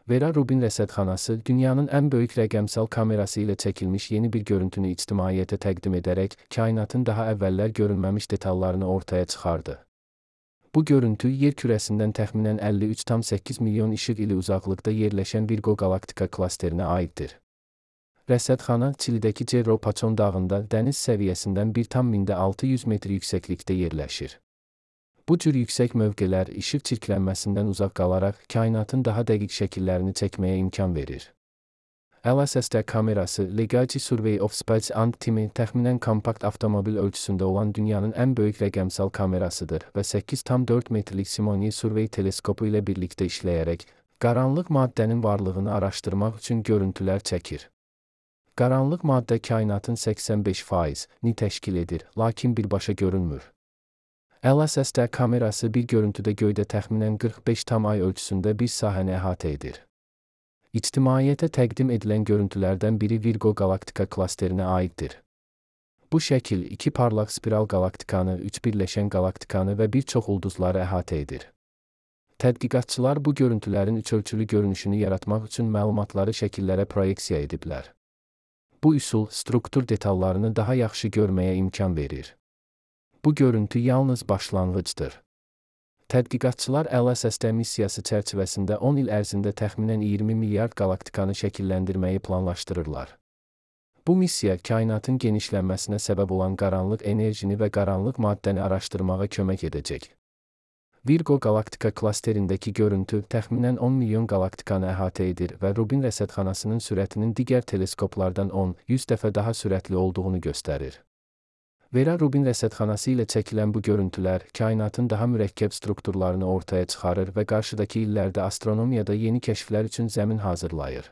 Vera Rubin rəsədxanası dünyanın ən böyük rəqəmsal kamerası ilə çəkilmiş yeni bir görüntünü ictimaiyyətə təqdim edərək kainatın daha əvvəllər görünməmiş detallarını ortaya çıxardı. Bu görüntü yer kürəsindən təxminən 53,8 milyon işıq ili uzaqlıqda yerləşən Virgo qalaktika klasterinə aiddir. Rəsədxana Çilidəki Cerro Paçon dağında dəniz səviyyəsindən 1,600 metr yüksəklikdə yerləşir. Bu cür yüksək mövqelər işıq çirklənməsindən uzaq qalaraq kainatın daha dəqiq şəkillərini çəkməyə imkan verir. LSSD kamerası Legacy Survey of Space and Time təxminən kompakt avtomobil ölçüsündə olan dünyanın ən böyük rəqəmsal kamerasıdır və 8,4 metrlik Simony Survey teleskopu ilə birlikdə işləyərək qaranlıq maddənin varlığını araşdırmaq üçün görüntülər çəkir. Qaranlıq maddə kainatın 85%ni təşkil edir, lakin birbaşa görünmür. LSSD kamerası bir görüntüdə göydə təxminən 45 tam ay ölçüsündə bir sahəni əhatə edir. İctimaiyyətə təqdim edilən görüntülərdən biri Virgo qalaktika klasterinə aiddir. Bu şəkil iki parlaq spiral qalaktikanı, üç birləşən qalaktikanı və bir çox ulduzları əhatə edir. Tədqiqatçılar bu görüntülərin üçölçülü görünüşünü yaratmaq üçün məlumatları şəkillərə proyeksiya ediblər. Bu üsul struktur detallarını daha yaxşı görməyə imkan verir. Bu görüntü yalnız başlanğıcdır. Tədqiqatçılar LSSD missiyası çərçivəsində 10 il ərzində təxminən 20 milyard qalaktikanı şəkilləndirməyi planlaşdırırlar. Bu missiya kainatın genişlənməsinə səbəb olan qaranlıq enerjini və qaranlıq maddəni araşdırmağa kömək edəcək. Virgo qalaktika klasterindəki görüntü təxminən 10 milyon qalaktikanı əhatə edir və Rubin rəsədxanasının sürətinin digər teleskoplardan 10-100 dəfə daha sürətli olduğunu göstərir. Vera Rubin rəsədxanası ilə çəkilən bu görüntülər kainatın daha mürəkkəb strukturlarını ortaya çıxarır və qarşıdakı illərdə astronomiyada yeni kəşflər üçün zəmin hazırlayır.